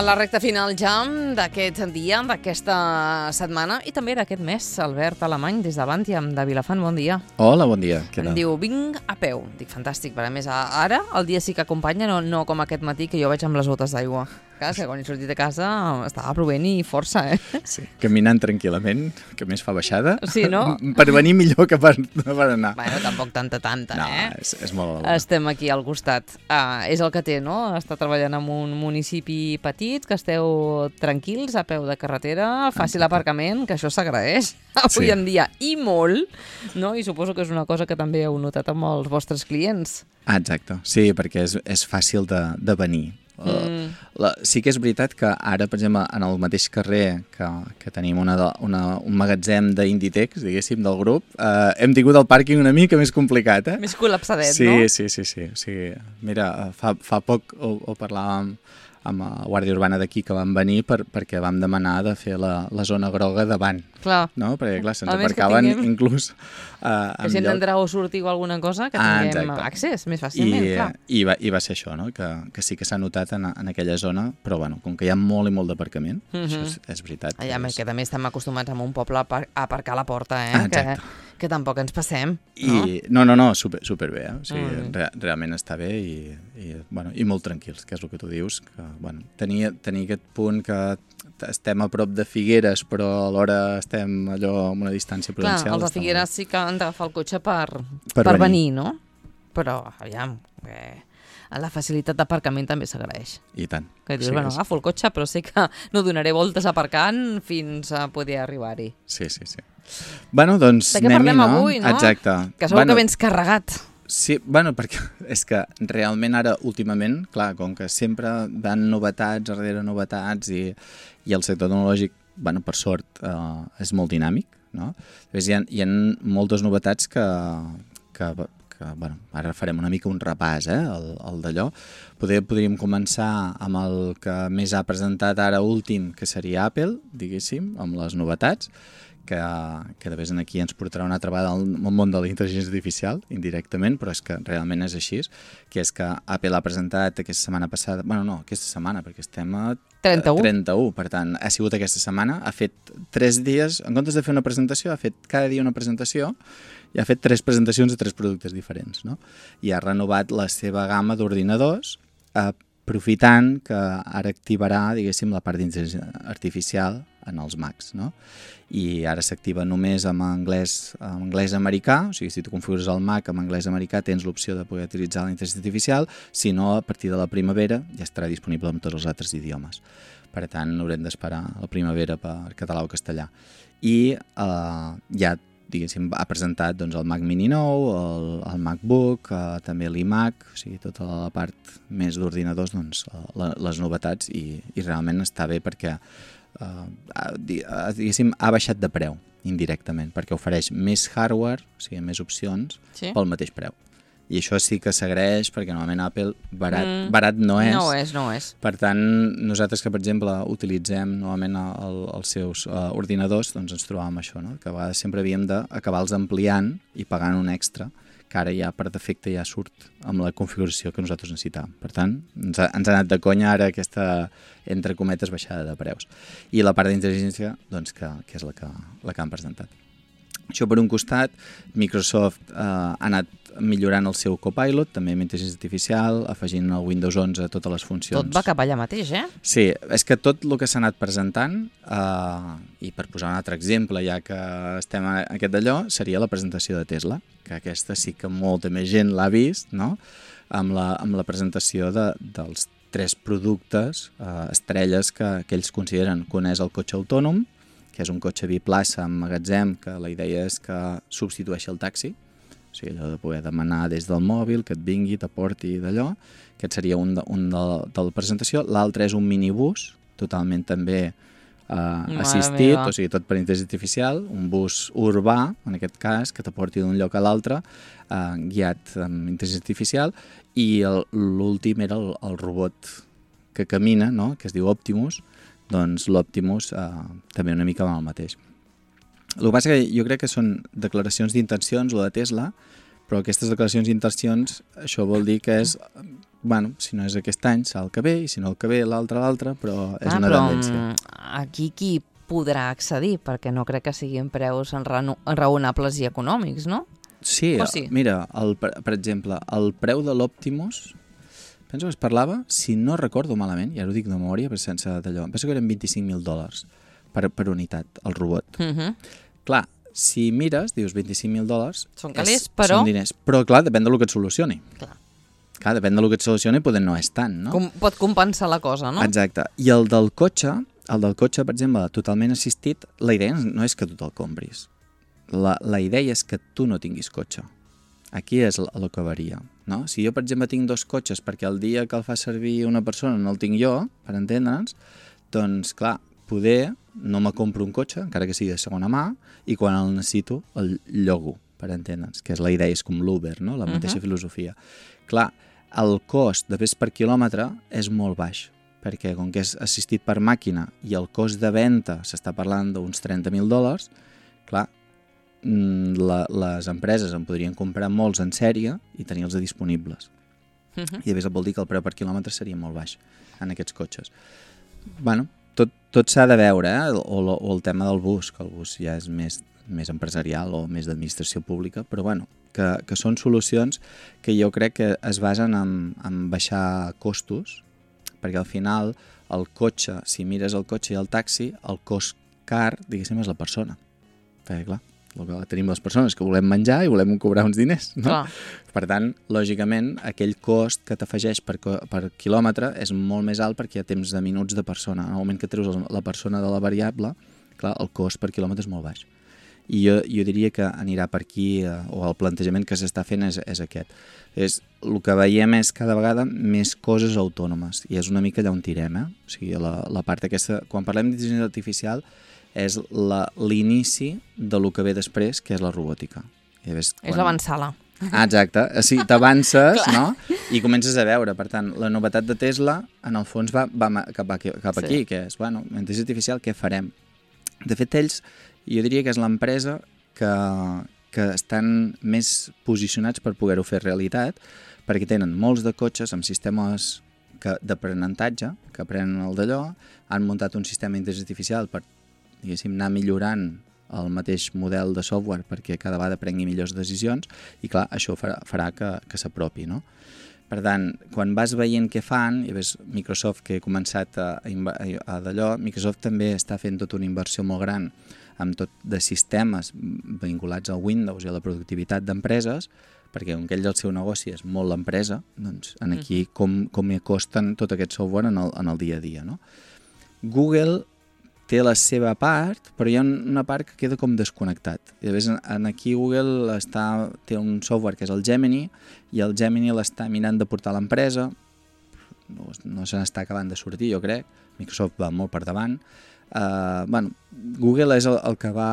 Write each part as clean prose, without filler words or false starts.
A la recta final ja d'aquest dia, d'aquesta setmana i també d'aquest mes, Albert Alemany, des de Bàntia, de Vilafant, bon dia. Hola, bon dia. Em diu, vinc a peu. Dic, fantàstic, per a més, ara el dia sí que acompanya, no com aquest matí que jo veig amb les botes d'aigua. Clar, que quan he sortit de casa estava plovent i força, Sí, caminant tranquil·lament, que més fa baixada. Sí, no? Per venir millor que per anar. Bueno, tampoc tanta, no, és molt... Estem aquí al costat. És el que té, no? Està treballant en un municipi petit, que esteu tranquils, a peu de carretera, fàcil aparcament, que això s'agraeix avui en dia, i molt, no? I suposo que és una cosa que també heu notat amb els vostres clients. Exacte, sí, perquè és fàcil de venir. Sí que és veritat que ara, per exemple, en el mateix carrer que tenim un magatzem d'Inditex, diguéssim, del grup, hem tingut el pàrquing una mica més complicat, Més col·lapsadet, no? no? Sí. Mira, fa poc ho parlàvem amb la Guàrdia Urbana d'aquí, que van venir perquè vam demanar de fer la zona groga davant. Clar. No? Perquè, clar, se'ns aparcaven inclús que si hem d'entrar o sortir o alguna cosa, que tinguem accés més fàcilment, clar. I va ser això, no? Que sí que s'ha notat en aquella zona, però bueno, com que hi ha molt i molt d'aparcament, això és veritat. Que també estem acostumats a un poble a aparcar a la porta, que tampoc ens passem. No, superbé, o sigui, realment està bé i molt tranquils, que és el que tu dius, que tenir aquest punt que estem a prop de Figueres, però alhora estem allò amb una distància prudencial. Clar, els de Figueres sí que han d'agafar el cotxe per venir, no? Però, aviam, la facilitat d'aparcament també s'agraeix. I tant. Que dius, agafo el cotxe, però sé que no donaré voltes aparcant fins a poder arribar-hi. Sí. Bueno, doncs anem-hi, no? De què parlem avui, no? Exacte. Que segur que vens carregat. Sí, perquè és que realment ara, últimament, clar, com que sempre van novetats darrere novetats i el sector tecnològic, per sort, és molt dinàmic, no? Hi ha moltes novetats que ara farem una mica un repàs, el d'allò. Podríem començar amb el que més ha presentat ara últim, que seria Apple, diguéssim, amb les novetats, que de vegades aquí ens portarà una altra vegada al món de la intel·ligència artificial, indirectament, però és que realment és així, que és que Apple ha presentat aquesta setmana passada, aquesta setmana, perquè estem a 31, per tant, ha sigut aquesta setmana, ha fet 3 dies, en comptes de fer una presentació, ha fet cada dia una presentació, i ha fet 3 presentacions de 3 productes diferents, no? I ha renovat la seva gamma d'ordinadors, aprofitant que ara activarà, diguéssim, la part d'intel·ligència artificial en els Macs, no? I ara s'activa només amb anglès americà, o sigui, si tu configures el Mac amb anglès americà tens l'opció de poder utilitzar la intel·ligència artificial, si no, a partir de la primavera ja estarà disponible en tots els altres idiomes. Per tant, haurem d'esperar la primavera per català o castellà. I ja, diguéssim, ha presentat el Mac Mini nou, el MacBook, també l'iMac, o sigui, tota la part més d'ordinadors, les novetats, i realment està bé perquè diguéssim, ha baixat de preu indirectament, perquè ofereix més hardware, o sigui, més opcions, pel mateix preu. I això sí que s'agraeix, perquè normalment Apple barat no és. No és. Per tant, nosaltres que, per exemple, utilitzem normalment els seus ordinadors, doncs ens trobàvem això, no? Que a vegades sempre havíem d'acabar-los ampliant i pagant un extra, que ara ja per defecte ja surt amb la configuració que nosaltres necessitàvem. Per tant, ens ha anat de conya ara aquesta, entre cometes, baixada de preus. I la part d'intel·ligència, doncs, que és la que han presentat. Això per un costat, Microsoft ha anat millorant el seu Copilot, també amb intel·ligència artificial, afegint el Windows 11 a totes les funcions. Tot va cap allà mateix, Sí, és que tot el que s'ha anat presentant, i per posar un altre exemple, ja que estem en aquest d'allò, seria la presentació de Tesla, que aquesta sí que molta més gent l'ha vist, no? Amb la presentació dels 3 productes estrelles que ells consideren. Un és el cotxe autònom, que és un cotxe biplaça amb magatzem, que la idea és que substitueixi el taxi, o sigui, allò de poder demanar des del mòbil, que et vingui, t'aporti d'allò. Aquest seria un de la presentació. L'altre és un minibús, totalment també assistit, o sigui, tot per intel·ligència artificial, un bus urbà, en aquest cas, que t'aporti d'un lloc a l'altre, guiat amb intel·ligència artificial, i l'últim era el robot que camina, no? Que es diu Optimus. Doncs l'Optimus també una mica va el mateix. El que passa que jo crec que són declaracions d'intencions, o de Tesla, però aquestes declaracions d'intencions, això vol dir que és bueno, si no és aquest any, serà el que ve, i si no el que ve, l'altre, però és una però tendència. aquí qui podrà accedir? Perquè no crec que siguin preus raonables i econòmics, no? Sí, O sí? mira, per exemple, el preu de l'Optimus, penso que es parlava, si no recordo malament, ja ho dic de memòria, però sense d'allò, penso que eren $25.000 per unitat, el robot. Clar, si mires, dius $25.000... Són calés, però... Són diners, però clar, depèn del que et solucioni. Clar, depèn del que et solucioni, poder no és tant, no? Pot compensar la cosa, no? Exacte. I el del cotxe, per exemple, totalment assistit, la idea no és que tu te'l compris. La idea és que tu no tinguis cotxe. Aquí és el que varia, no? Si jo, per exemple, tinc 2 cotxes perquè el dia que el fa servir una persona no el tinc jo, per entendre'ns, doncs, clar, poder no me compro un cotxe, encara que sigui de segona mà, i quan el necessito el llogo, per entendre'ns, que és la idea, és com l'Uber, no? La mateixa filosofia. Clar, el cost de pes per quilòmetre és molt baix, perquè com que és assistit per màquina i el cost de venda s'està parlant d'uns $30.000, clar, les empreses en podrien comprar molts en sèrie i tenir-los disponibles. I a més vol dir que el preu per quilòmetre seria molt baix en aquests cotxes. Bueno, tot s'ha de veure, o el tema del bus, que el bus ja és més empresarial o més d'administració pública, però bueno, que són solucions que jo crec que es basen en baixar costos, perquè al final el cotxe, si mires el cotxe i el taxi, el cost car, diguéssim, és la persona. Perquè clar, el que tenim les persones que volem menjar i volem cobrar uns diners, no? Per tant, lògicament, aquell cost que t'afegeix per quilòmetre és molt més alt perquè hi ha temps de minuts de persona. En el moment que treus la persona de la variable, clar, el cost per quilòmetre és molt baix. I jo diria que anirà per aquí, o el plantejament que s'està fent és aquest. El que veiem és cada vegada més coses autònomes, i és una mica allà on tirem, O sigui, la part aquesta, quan parlem d'intel·ligència artificial, és l'inici de lo que ve després, que és la robòtica. És l'avançala. Exacte, sí, t'avances, no? I comences a veure. Per tant, la novetat de Tesla, en el fons, va cap aquí, que és, bueno, intel·ligència artificial, què farem? De fet, ells, jo diria que és l'empresa que estan més posicionats per poder-ho fer realitat, perquè tenen molts de cotxes amb sistemes d'aprenentatge, que aprenen el d'allò, han muntat un sistema d'intel·ligència artificial per, diguéssim, anar millorant el mateix model de software perquè cada vegada prengui millors decisions i clar, això farà que s'apropi, no? Per tant, quan vas veient què fan, i ves Microsoft que ha començat a d'allò, Microsoft també està fent tota una inversió molt gran amb tot de sistemes vinculats al Windows i a la productivitat d'empreses, perquè com que ell el seu negoci és molt l'empresa, doncs aquí com hi acosten tot aquest software en el dia a dia, no? Google té la seva part, però hi ha una part que queda com desconnectat. I llavors aquí Google té un software que és el Gemini, i el Gemini l'està mirant de portar a l'empresa, no se n'està acabant de sortir, jo crec, Microsoft va molt per davant. Bueno, Google és el que va...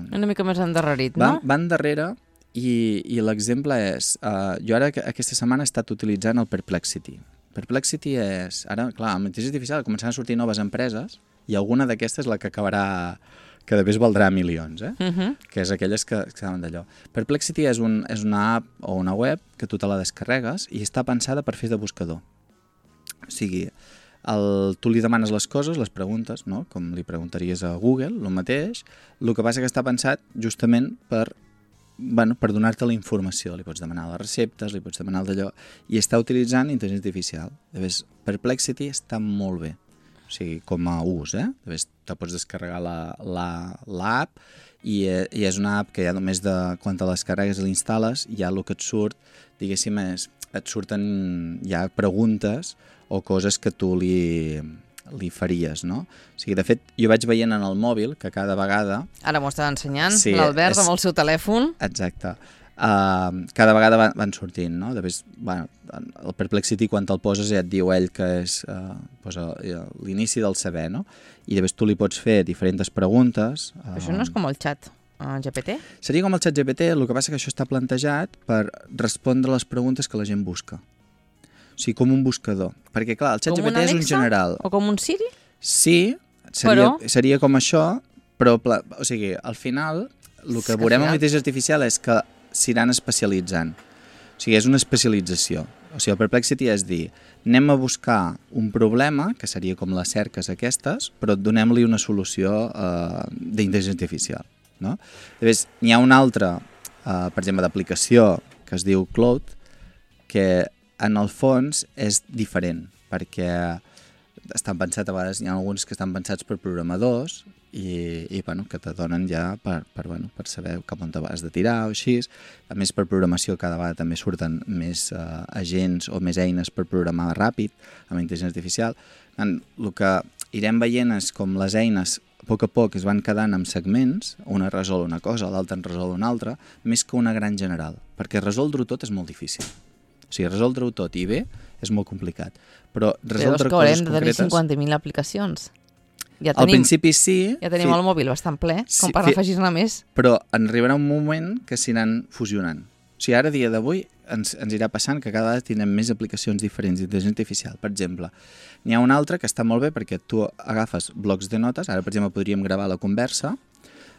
Una mica més endarrerit, no? Va endarrere, i l'exemple és... Jo ara aquesta setmana he estat utilitzant el Perplexity. Perplexity és... Ara, clar, amb intel·ligència artificial començaran a sortir noves empreses, i alguna d'aquestes és la que acabarà, que després valdrà milions, que és aquelles que saben d'allò. Perplexity és una app o una web que tu te la descarregues i està pensada per fer de buscador. O sigui, tu li demanes les coses, les preguntes, no? Com li preguntaries a Google, el mateix, el que passa que està pensat justament per donar-te la informació. Li pots demanar les receptes, li pots demanar d'allò, i està utilitzant intel·ligència artificial. Llavors, Perplexity està molt bé. O sigui, com a ús, Llavors, te pots descarregar l'app i és una app que ja només quan te les carregues i l'instal·les, ja el que et surt, diguéssim, et surten ja preguntes o coses que tu li faries, no? O sigui, de fet, jo vaig veient en el mòbil que cada vegada... Ara m'ho estava ensenyant, l'Albert amb el seu telèfon. Exacte. Cada vegada van sortint, no? Després, el Perplexity, quan te'l poses, ja et diu ell que és l'inici del saber, no? I després tu li pots fer diferents preguntes. Això no és com el xat GPT? Seria com el xat GPT, el que passa que això està plantejat per respondre les preguntes que la gent busca. O sigui, com un buscador. Perquè, clar, el xat GPT és un general. O com un Siri? Sí, seria com això, però, o sigui, al final, el que veurem amb l'intel·ligència artificial és que s'iran especialitzant. O sigui, és una especialització. O sigui, el Perplexity és dir, anem a buscar un problema, que seria com les cerques aquestes, però donem-li una solució d'intel·ligència artificial. No? Llavors, n'hi ha una altra, per exemple, d'aplicació que es diu Cloud, que en el fons és diferent, perquè estan pensats, a vegades hi ha alguns que estan pensats per programadors i bueno, que te donen ja per saber cap on te vas de tirar o així. A més, per programació cada vegada també surten més agents o més eines per programar ràpid amb intel·ligència artificial. El que irem veient és com les eines a poc es van quedant amb segments, una resol una cosa, l'altra en resol una altra, més que una gran general, perquè resoldre-ho tot és molt difícil. O sigui, resoldre-ho tot i bé és molt complicat, però resoldre coses concretes... Però és que haurem de tenir 50.000 aplicacions. Al principi sí... Ja tenim el mòbil bastant ple, com per afegir-ne més. Però en arribarà un moment que s'aniran fusionant. O sigui, ara, a dia d'avui, ens irà passant que cada vegada tindrem més aplicacions diferents d'intel·ligència artificial. Per exemple, n'hi ha una altra que està molt bé perquè tu agafes blocs de notes, ara, per exemple, podríem gravar la conversa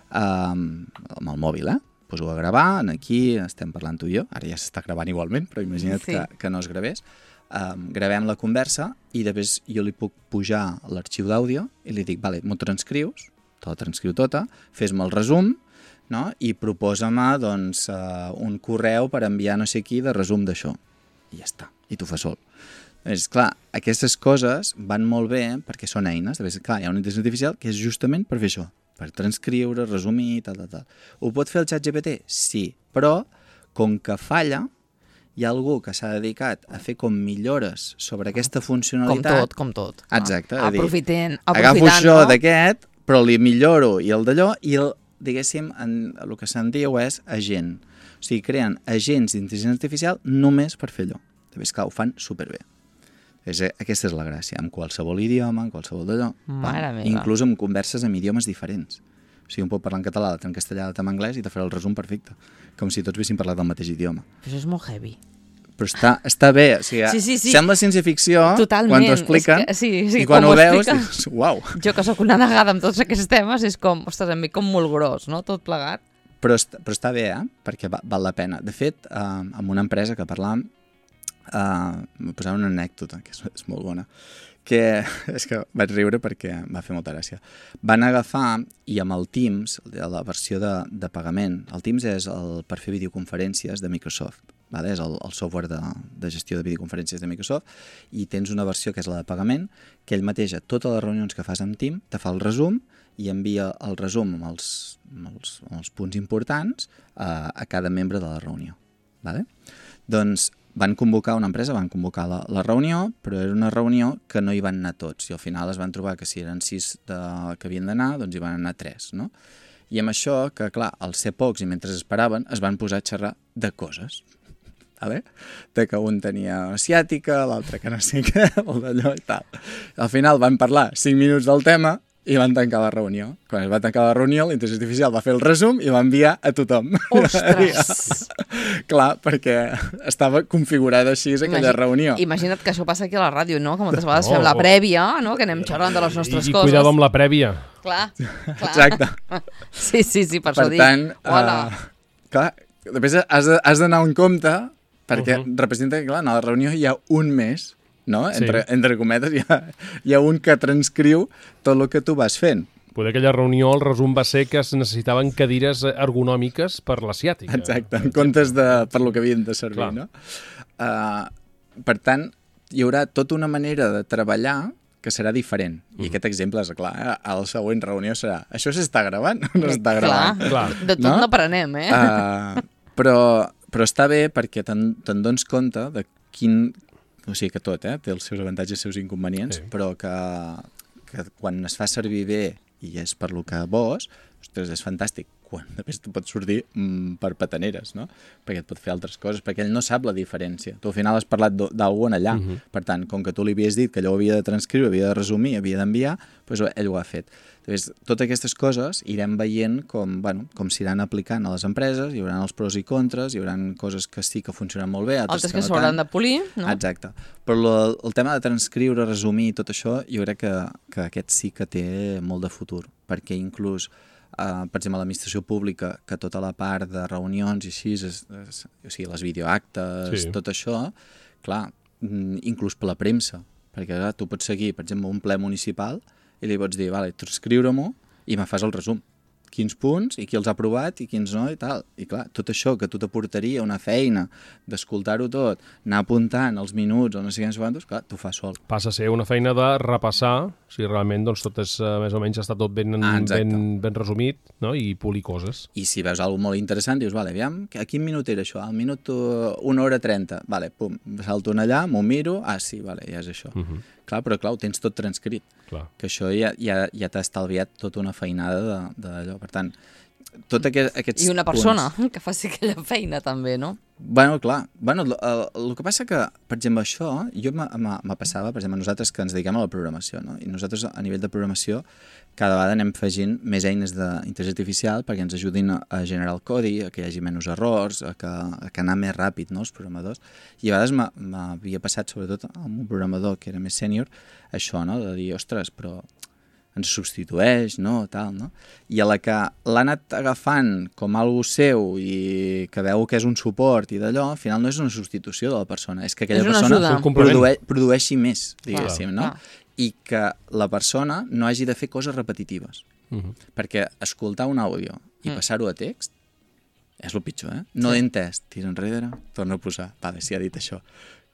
amb el mòbil, Poso a gravar, aquí estem parlant tu i jo, ara ja s'està gravant igualment, però imagina't que no es gravés. Gravem la conversa i després jo li puc pujar l'arxiu d'àudio i li dic, vale, m'ho transcrius, te la transcriu tota, fes-me el resum, no? I proposa-me doncs, un correu per enviar no sé qui de resum d'això. I ja està, i t'ho fa sol. És clar, aquestes coses van molt bé perquè són eines. Clar, hi ha una intel·ligència artificial que és justament per fer això, per transcriure, resumir, tal. Ho pot fer el ChatGPT? Sí, però com que falla, hi ha algú que s'ha dedicat a fer com millores sobre aquesta funcionalitat. Com tot. Exacte. Aprofitant, agafo això d'aquest, però li milloro i el d'allò, i diguéssim, el que se'n diu és agent. O sigui, creen agents d'intel·ligència artificial només per fer allò. També, esclar, ho fan superbé. Aquesta és la gràcia, amb qualsevol idioma, amb qualsevol d'allò. Inclús amb converses amb idiomes diferents. O sigui, un pot parlar en català, l'altre en castellà, l'altre en anglès i te farà el resum perfecte. Com si tots haguessin parlat del mateix idioma. Això és molt heavy. Però està bé, o sigui, sí. Sembla ciència-ficció quan t'ho expliquen, i quan ho veus dius, uau. Jo que sóc una negada amb tots aquests temes, és com, ostres, em ve com molt gros, no?, tot plegat. Però està bé, perquè val la pena. De fet, amb una empresa que parlàvem, m'ho posava una anècdota, que és molt bona, que és que vaig riure perquè va fer molta gràcia. Van agafar, i amb el Teams, la versió de pagament, el Teams és per fer videoconferències de Microsoft, és el software de gestió de videoconferències de Microsoft, i tens una versió que és la de pagament, que ell mateix a totes les reunions que fas amb Teams te fa el resum i envia el resum amb els punts importants a cada membre de la reunió. Doncs van convocar una empresa, van convocar la reunió, però era una reunió que no hi van anar tots, i al final es van trobar que si eren 6 que havien d'anar, doncs hi van anar 3, no? I amb això, que clar, al ser pocs i mentre esperaven, es van posar a xerrar de coses. De que un tenia asiàtica, l'altre que no sé què, el d'allò i tal. Al final van parlar 5 minuts del tema i van tancar la reunió. Quan es va tancar la reunió, l'intel·ligència artificial va fer el resum i va enviar a tothom. Ostres! Clar, perquè estava configurada així aquella reunió. Imagina't que això passa aquí a la ràdio, no? Que moltes vegades fem la prèvia, no? Que anem xerrant de les nostres coses. I cuidado amb la prèvia. Clar. Exacte. Sí, per això dic. Per tant, clar, després has d'anar en compte perquè representa que, clar, a la reunió hi ha un més, no? Entre cometes, hi ha un que transcriu tot el que tu vas fent. Poder aquella reunió, el resum va ser que es necessitaven cadires ergonòmiques per l'asiàtica. Exacte, en comptes per lo que havien de servir, no? Per tant, hi haurà tota una manera de treballar que serà diferent. I aquest exemple és, clar, a la següent reunió serà això s'està gravant o no s'està gravant? Clar. De tot no prenem, Però està bé perquè te'n dones compte de quin... O sigui que tot, té els seus avantatges i els seus inconvenients, però que quan es fa servir bé i és per lo que vols, ostres, és fantàstic. Quan després tu pots sortir per petaneres, no? Perquè et pot fer altres coses, perquè ell no sap la diferència. Tu al final has parlat d'algú allà. Per tant, com que tu li havies dit que allò ho havia de transcriure, havia de resumir, havia d'enviar, doncs ell ho ha fet. Llavors, totes aquestes coses irem veient com s'iran aplicant a les empreses, hi haurà els pros i contres, hi haurà coses que sí que funcionen molt bé, altres que s'hauran de polir, no? Exacte. Però el tema de transcriure, resumir, tot això, jo crec que aquest sí que té molt de futur, perquè inclús per exemple, a l'administració pública, que tota la part de reunions i així, o sigui, les videoactes, tot això, clar, inclús per la premsa, perquè clar, tu pots seguir, per exemple, un ple municipal i li pots dir, vale, transcriure-m'ho i me fas el resum. Quins punts i qui els ha aprovat i quins no i tal. I clar, tot això que tu t'aportaria una feina d'escoltar-ho tot, anar apuntant els minuts o no sé quants, clar, t'ho fas sol. Passa a ser una feina de repassar si realment doncs, tot és, més o menys està tot ben resumit, no? I polir coses. I si veus alguna molt interessant, dius, vale, aviam, a quin minut era això? Al minut 1:30. Vale, pum, salto allà, m'ho miro, sí, vale, ja és això. Clar, però clar, ho tens tot transcrit. Clar. Que això ja t'ha estalviat tota una feinada d'allò. Per tant, tot aquests I una persona que faci aquella feina també, no? Bueno, clar. Bueno, el que passa que, per exemple, això, jo me passava, per exemple, nosaltres que ens dediquem a la programació, no? I nosaltres, a nivell de programació, cada vegada anem afegint més eines d'intel·ligència artificial perquè ens ajudin a generar el codi, a que hi hagi menys errors, a que anar més ràpid, no?, els programadors. I a vegades m'havia passat, sobretot amb un programador que era més sènior, això, no?, de dir, ostres, però ens substitueix, no?, tal, no? I a la que l'ha anat agafant com algo seu i que veu que és un suport i d'allò, al final no és una substitució de la persona, és que aquella persona produeixi més, diguéssim, no? I que la persona no hagi de fer coses repetitives. Perquè escoltar un àudio i passar-ho a text és el pitjor, eh? No l'he entès, tira enrere, torna a posar. Vale, si ha dit això.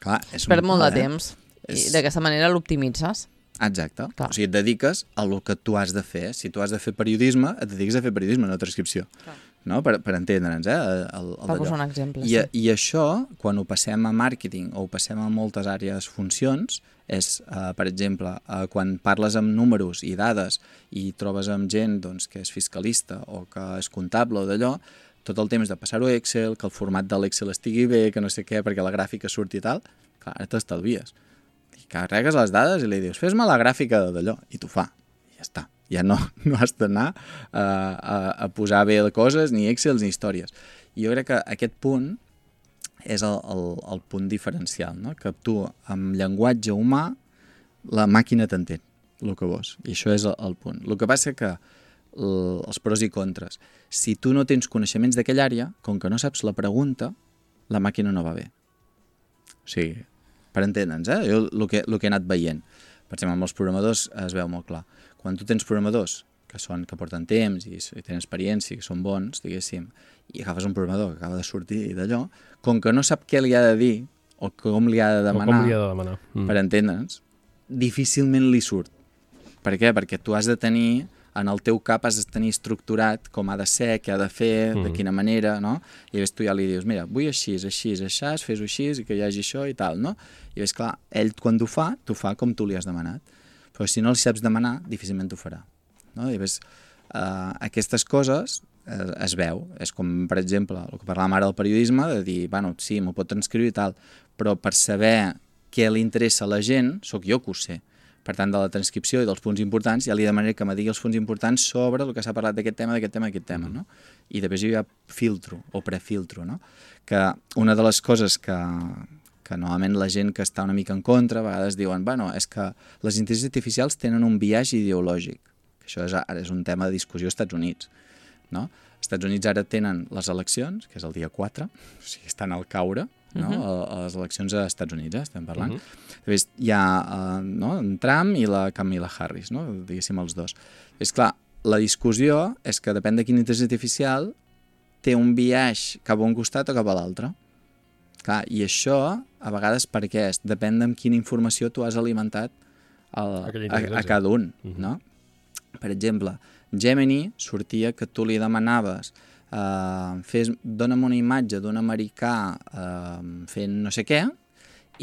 Clar, és perd molt de temps. I d'aquesta manera l'optimitzes. Exacte. Clar. O sigui, et dediques a el que tu has de fer. Si tu has de fer periodisme, et dediques a fer periodisme, no transcripció. Clar. No? Per entendre'ns, per posar un exemple. I això, quan ho passem a màrqueting o ho passem a moltes àrees funcions, és, per exemple, quan parles amb números i dades i trobes amb gent doncs, que és fiscalista o que és comptable o d'allò, tot el temps de passar-ho a Excel, que el format de l'Excel estigui bé, que no sé què, perquè la gràfica surti i tal, clar, ara t'estalvies. I carregues les dades i li dius, fes-me la gràfica d'allò, i t'ho fa, i ja està. Ja no has d'anar a posar bé coses, ni Excel ni històries. I jo crec que aquest punt és el punt diferencial, no? Que tu, amb llenguatge humà, la màquina t'entén el que vols. I això és el punt. El que passa que els pros i contres. Si tu no tens coneixements d'aquella àrea, com que no saps la pregunta, la màquina no va bé. O sigui, per entendre'ns, jo el que he anat veient. Per exemple, amb els programadors es veu molt clar. Quan tu tens programadors que porten temps i tenen experiència, que són bons, diguéssim, i agafes un programador que acaba de sortir d'allò, com que no sap què li ha de dir o com li ha de demanar, per entendre'ns, difícilment li surt. Per què? Perquè tu has de tenir, en el teu cap has de tenir estructurat com ha de ser, què ha de fer, de quina manera, no? I llavors tu ja li dius, mira, vull així, fes-ho així, i que hi hagi això i tal, no? I llavors, clar, ell quan t'ho fa com tu li has demanat. Però si no li saps demanar, difícilment t'ho farà. No? I llavors, aquestes coses es veu. És com, per exemple, el que parlàvem ara del periodisme, de dir, bueno, sí, m'ho pot transcriure i tal, però per saber què li interessa a la gent, sóc jo que ho sé. Per tant, de la transcripció i dels punts importants, ja li demanaré que me digui els punts importants sobre el que s'ha parlat d'aquest tema, no? I després jo ja filtro o prefiltro, no? Que una de les coses que normalment la gent que està una mica en contra a vegades diuen, bueno, és que les intel·ligències artificials tenen un biaix ideològic. Això ara és un tema de discussió als Estats Units, no? Els Estats Units ara tenen les eleccions, que és el dia 4, o sigui, estan al caure, no? A les eleccions als Estats Units, estem parlant. Després hi ha en Trump i la Kamala Harris, no? Diguéssim els dos. És clar, la discussió és que depèn de quina intel·ligència artificial té un biaix cap a un costat o cap a l'altre. Clar, i això, a vegades, per què és? Depèn de quina informació tu has alimentat a cada un, no? Per exemple, Gemini sortia que tu li demanaves dona'm una imatge d'un americà fent no sé què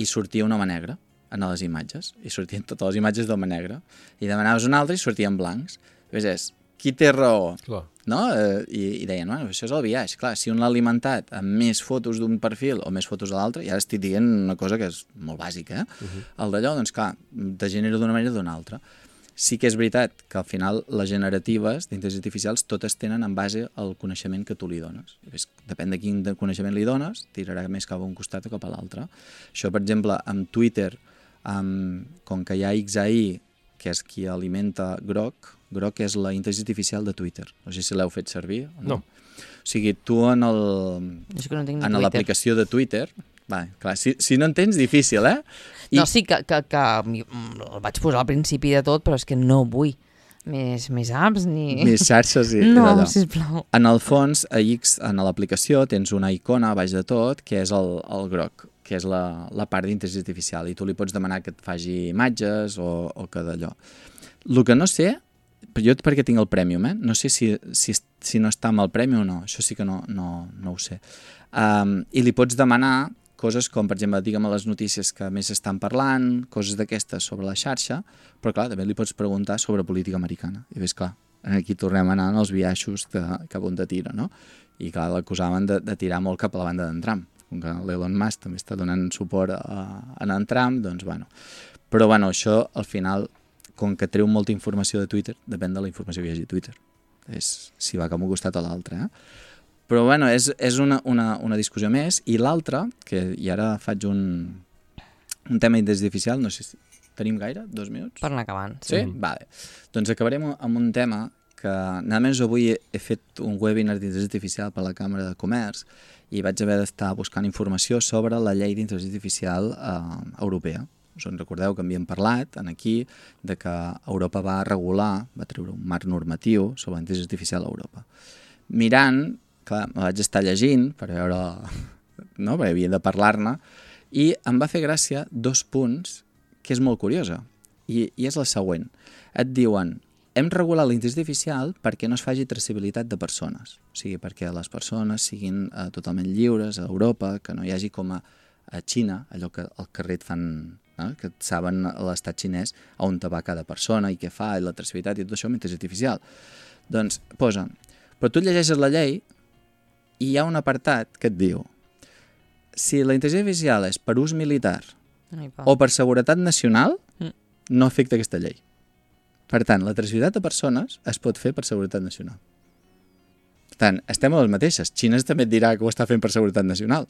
i sortia un home negre en les imatges, i sortien totes les imatges d'home negre. I demanaves un altre i sortien blancs. Llavors qui té raó? Clar. No? I deien, bueno, això és el biaix. Clar, si un l'ha alimentat amb més fotos d'un perfil o més fotos de l'altre, i ara estic dient una cosa que és molt bàsica, el d'allò, doncs clar, te genera d'una manera o d'una altra. Sí que és veritat que al final les generatives d'intel·ligències artificials totes tenen en base al coneixement que tu li dones. Depèn de quin coneixement li dones, tirarà més cap a un costat o cap a l'altre. Això, per exemple, amb Twitter, com que hi ha XAI, que és qui alimenta Grok és la intel·ligència artificial de Twitter. No sé si l'heu fet servir o no. O sigui, tu en l'aplicació de Twitter, Vale, clar, si no en tens, difícil, eh? No, sí que el vaig posar al principi de tot, però és que no vull més apps ni... Més xarxes i no, d'allò. sisplau. En el fons, a X, en l'aplicació, tens una icona a baix de tot, que és el groc, que és la part d'intel·ligència artificial, i tu li pots demanar que et faci imatges o que d'allò. El que no sé, jo perquè tinc el Premium, no sé si no està amb el Premium o no, això sí que no ho sé. I li pots demanar coses com, per exemple, digue'm les notícies que més estan parlant, coses d'aquestes sobre la xarxa, però clar, també li pots preguntar sobre política americana. I ves, clar, aquí tornem a anar als biaixos cap on te tira, no? I clar, l'acusaven de tirar molt cap a la banda d'en Trump. Com que l'Elon Musk també està donant suport a en Trump, doncs bueno. Però bueno, això al final, com que treu molta informació de Twitter, depèn de la informació que hi hagi a Twitter. És si va cap a un costat o l'altre, Però bueno, és una discussió més. I l'altra, i ara faig un tema d'intel·ligència artificial, no sé si tenim gaire, 2 minuts? Per anar acabant. Sí? Vale. Doncs acabarem amb un tema que, nada més avui he fet un webinar d'intel·ligència artificial per la Càmera de Comerç i vaig haver d'estar buscant informació sobre la llei d'intel·ligència artificial europea. Us en recordeu que havíem parlat aquí de que Europa va regular, va treure un marc normatiu sobre la intel·ligència artificial a Europa. Mirant, clar, me vaig estar llegint per veure, no? Perquè havia de parlar-ne, i em va fer gràcia 2 punts que és molt curiosa, i és la següent. Et diuen, hem regulat la intel·ligència artificial perquè no es faci traçabilitat de persones, o sigui, perquè les persones siguin totalment lliures a Europa, que no hi hagi com a Xina, allò que al carrer et fan, que saben a l'estat xinès on te va cada persona i què fa, i la traçabilitat i tot això amb intel·ligència artificial. Doncs posen, però tu llegeixes la llei i hi ha un apartat que et diu si la intel·ligència artificial és per ús militar o per seguretat nacional, no afecta aquesta llei. Per tant, la traçabilitat de persones es pot fer per seguretat nacional. Per tant, estem a les mateixes. Xina també et dirà que ho està fent per seguretat nacional.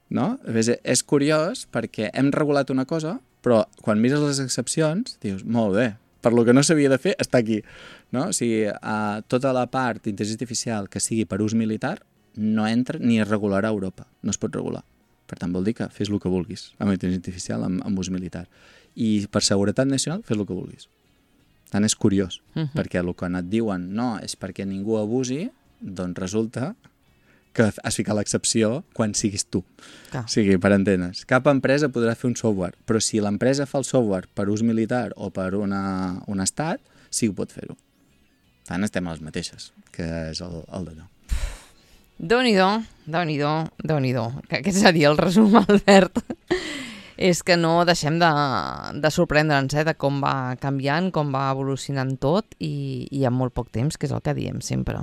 No? És curiós perquè hem regulat una cosa, però quan mires les excepcions, dius, molt bé, per lo que no s'havia de fer, està aquí. No? O sigui, tota la part d'intel·ligència artificial que sigui per ús militar no entra ni es regularà a Europa. No es pot regular. Per tant, vol dir que fes el que vulguis amb intel·ligència artificial, amb ús militar. I per seguretat nacional, fes el que vulguis. Per tant, és curiós, perquè el que et diuen no és perquè ningú abusi, doncs resulta que has ficat l'excepció quan siguis tu. O sigui, per entendre's. Cap empresa podrà fer un software, però si l'empresa fa el software per ús militar o per un estat, sí que pot fer-ho. Per tant, estem a les mateixes, que és el d'allò. Déu-n'hi-do. Aquest seria el resum, Albert. És que no deixem de sorprendre'ns de com va canviant, com va evolucionant tot i en molt poc temps, que és el que diem sempre.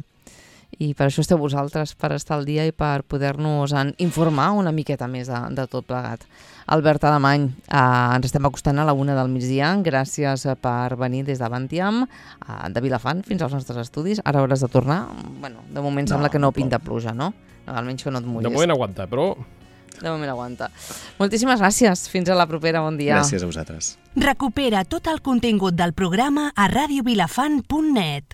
I per això esteu vosaltres, per estar al dia i per poder-nos informar una miqueta més de tot plegat. Albert Alemany, ens estem acostant a la 1 del migdia. Gràcies per venir des de Bantiam, de Vilafant, fins als nostres estudis. Ara hauràs de tornar. Bueno, de moment sembla que no pinta pluja, no? Almenys que no et mullis. De moment aguanta, però... De moment aguanta. Moltíssimes gràcies. Fins a la propera. Bon dia. Gràcies a vosaltres. Recupera tot el contingut del programa a radiovilafant.net.